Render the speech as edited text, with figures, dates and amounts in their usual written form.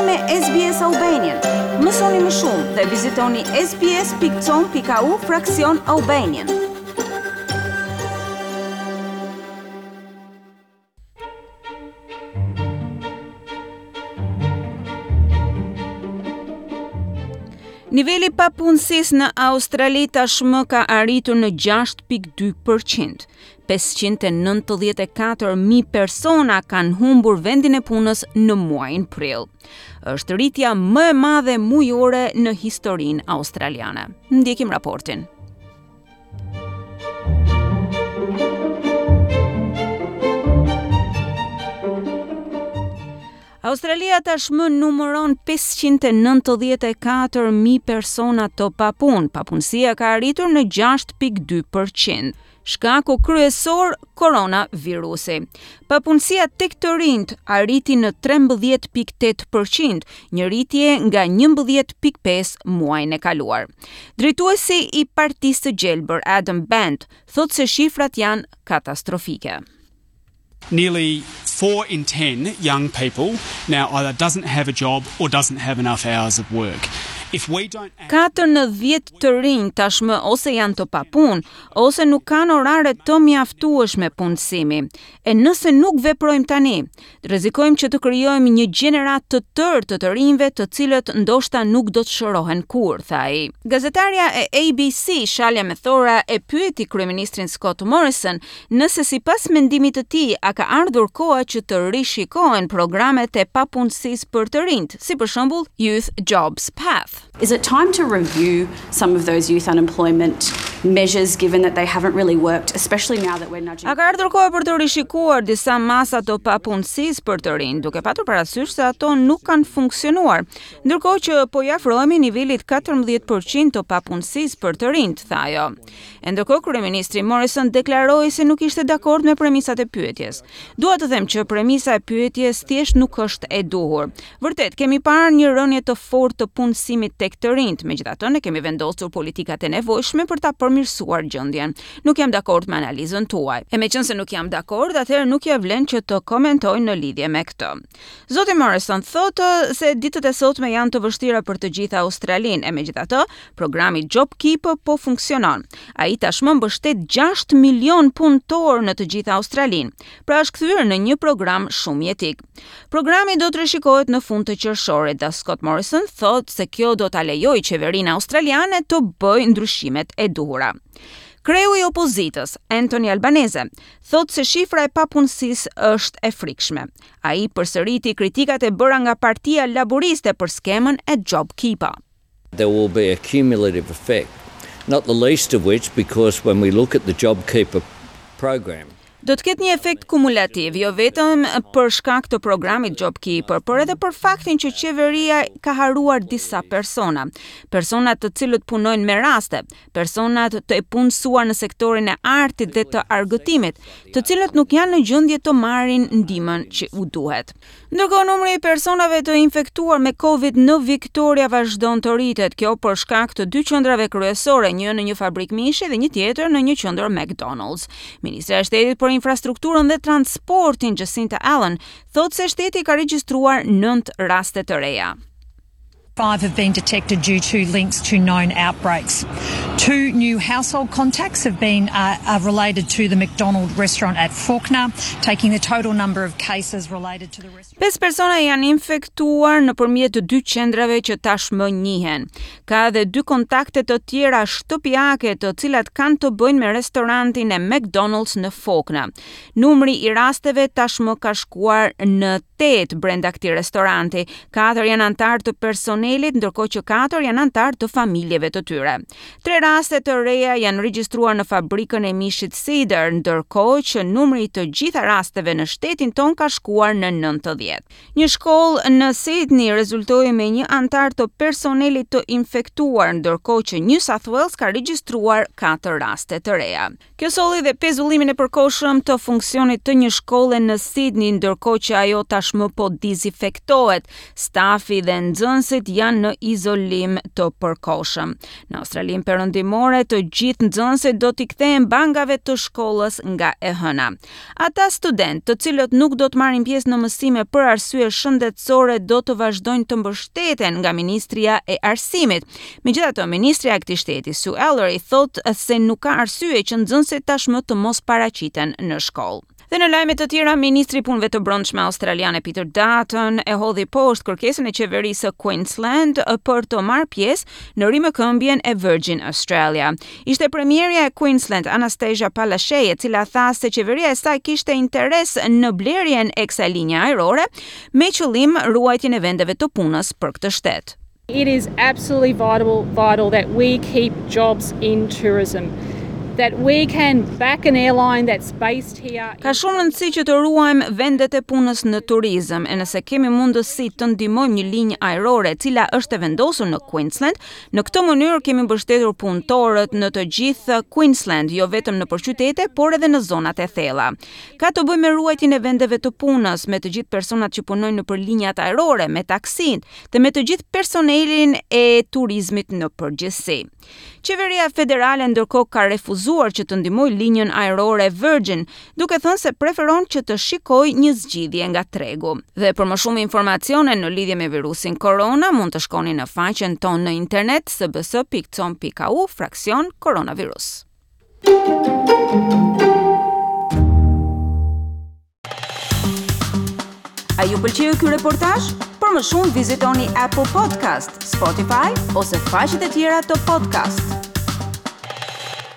me SBS Albanian. Mësoni më shumë dhe vizitoni sbs.com.au fraksion Albanian. Niveli i papunësisë në Australi tashmë ka arritur në 6.2%. 594.000 persona kanë humbur vendin e punës në muajin prill. Është rritja më e madhe mujore në historinë australiane. Ndjekim raportin. Australia tashmë numëron 594.000 persona të papunë. Papunësia ka arritur në 6.2%. Shkaku kryesor koronavirusi. Papunësia tek të rinjtë arriti në 13.8%, një rritje nga 11.5 muajin e kaluar. Drejtuesi i Partisë së Gjelbër, Adam Bandt, thotë se shifrat janë katastrofike. Nearly 4 in 10 young people now either doesn't have a job or doesn't have enough hours of work. If we don't act 4 në 10 të rinj tashmë ose janë të papunë, ose nuk kanë orare të mjaftueshme punësimi. E nëse nuk veprojmë tani, rrezikojmë që të krijojmë një gjeneratë të tërë të të rinjve të cilët ndoshta nuk do të shërohen kurrë, tha ai. Gazetarja e ABC, Shalya Methora, e pyeti kryeministrin Scott Morrison nëse sipas mendimit të tij a ka ardhur koha që të rishikohen programet e papunësisë për të rinjtë, si për shembull Youth Jobs Path. Is it time to review some of those youth unemployment measures given that they haven't really worked, especially now that we're nudging A ka ardhur koha për të rishikuar disa masa të papunësisë për të rinj, duke patur parasysh se ato nuk kanë funksionuar, ndërkohë që po i afrohemi nivelit 14% të papunësisë për të rinjtë, tha ajo. E ndërkohë kryeministri Morrison deklaroi se nuk ishte dakord me premisat e pyetjes. Dua të them që premisa e pyetjes thjesht nuk është e duhur. Vërtet, kemi parë një rënie të fortë të punësimit tek të rinjtë, megjithatë ne kemi vendosur politikat e nevojshme për ta përmirësuar gjendjen. Nuk jam dakord me analizën tuaj. E meqenëse nuk jam dakord, atëherë nuk ia vlen që të komentoj në lidhje me këtë. Zoti Morrison thotë se ditët e sotme janë të vështira për të gjithë Australinë, e megjithatë, programi JobKeeper po funksionon. Ai tashmë mbështet 6 milion punëtorë në të gjithë Australinë, pra është kthyer në një program shumë jetik. Programi do të rishikohet në fund të qershorit dhe Scott Morrison thotë se kjo do ta lejojë qeverinë australiane të bëjë ndryshimet e duhura. Kreu i opozitës, Anthony Albanese, thotë se shifra e papunësisë është e frikshme. Ai përsëriti kritikat e bëra nga Partia Laburiste për skemën e JobKeeper. There will be a cumulative effect, not the least of which because when we look at the JobKeeper program, Do të ketë një efekt kumulativ, jo vetëm për shkak të programit JobKeeper, por edhe për faktin që qeveria ka harruar disa persona, persona të cilët punojnë me raste, personat të punësuar në sektorin e artit dhe të argëtimit, të cilët nuk janë në gjendje të marrin ndihmën që u duhet. Ndërkohë numri i personave të infektuar me Covid në Victoria vazhdon të rritet, kjo për shkak të dy qendrave kryesore, një në një fabrikë mishi dhe një tjetër në një qendër McDonald's. Ministrja e Shtetit për Infrastrukturën dhe Transportin Jacinta Allan thotë se shteti ka regjistruar 9 raste të reja. Five have been detected due to links to known outbreaks. Two new household contacts have been uh, uh, related to the McDonald restaurant at Fawkner, taking the total number of cases related to the restaurant. Pesë persona janë infektuar nëpërmjet të dy qendrave që tashmë njihen. Ka edhe dy kontakte të tjera shtëpiake të cilat kanë të bëjnë me restorantin e McDonald's në Fawkner. Numri i rasteve tashmë ka shkuar në tetë brenda këtij restoranti. Katër janë anëtarë të personelit, ndërkohë që katër janë anëtarë të familjeve të tyre. Tre raste të reja janë regjistruar në fabrikën e mishit Cedar, ndërkohë që numri i të gjitha rasteve në shtetin tonë ka shkuar në 90. Një shkollë në Sydney rezultoi me një anëtar të personelit të infektuar, ndërkohë që New South Wales ka regjistruar katër raste të reja. Kjo solli dhe pezullimin e përkohshëm të funksionit të një shkolle në Sydney, ndërkohë që ajo tashmë po dezinfektohet. Stafi dhe nxënësit janë në izolim të përkohshëm. Në Australinë Perëndimore, të gjithë nxënësit do t'i kthehen bankave të shkollës nga e hëna. Ata studentë, të cilët nuk do të marrin pjesë në mësime për arsye shëndetësore, do të vazhdojnë të mbështeten nga Ministria e Arsimit. Megjithatë, ministrja e këtij shteti, Sue Ellery, thotë se nuk ka arsye që nxënësit tashmë të mos paraqiten në shkollë. Dhe në lajme të tjera, ministri i Punëve të Brendshme australiane Peter Dutton e hodhi poshtë kërkesën e qeverisë së Queensland për të marrë pjesë në rimëkëmbjen e Virgin Australia. Ishte premierja e Queensland Anastasia Palaszczuk e cila tha se qeveria e saj kishte interes në blerjen e kësaj linje ajrore me qëllim ruajtjen e vendeve të punës për këtë shtet. It is absolutely vital, vital that we keep jobs in tourism that we can back an airline that's based here. Ka shumë rëndësi që të ruajmë vendet e punës në turizëm, e nëse kemi mundësi të ndihmojmë një linjë ajrore e cila është e vendosur në Queensland, në këtë mënyrë kemi mbështetur punëtorët në të gjithë Queensland, jo vetëm nëpër qytete, por edhe në zonat e thella. Ka të bëjë me ruajtjen e vendeve të punës, me të gjithë personat që punojnë nëpër linjat ajrore, me taksin, dhe me të gjithë personelin e turizmit në përgjithësi. Qeveria federale ndërkohë ka refuzuar që të ndihmojë linjën ajrore Virgin, duke thënë se preferon që të shikojë një zgjidhje nga tregu. Dhe për më shumë informacione në lidhje me virusin korona, mund të shkoni në faqen tonë në internet sbs.com.au fraksion koronavirus. A ju pëlqeu ky reportazh? Për më shumë vizitoni Apple Podcast, Spotify ose faqet e tjera të podcast.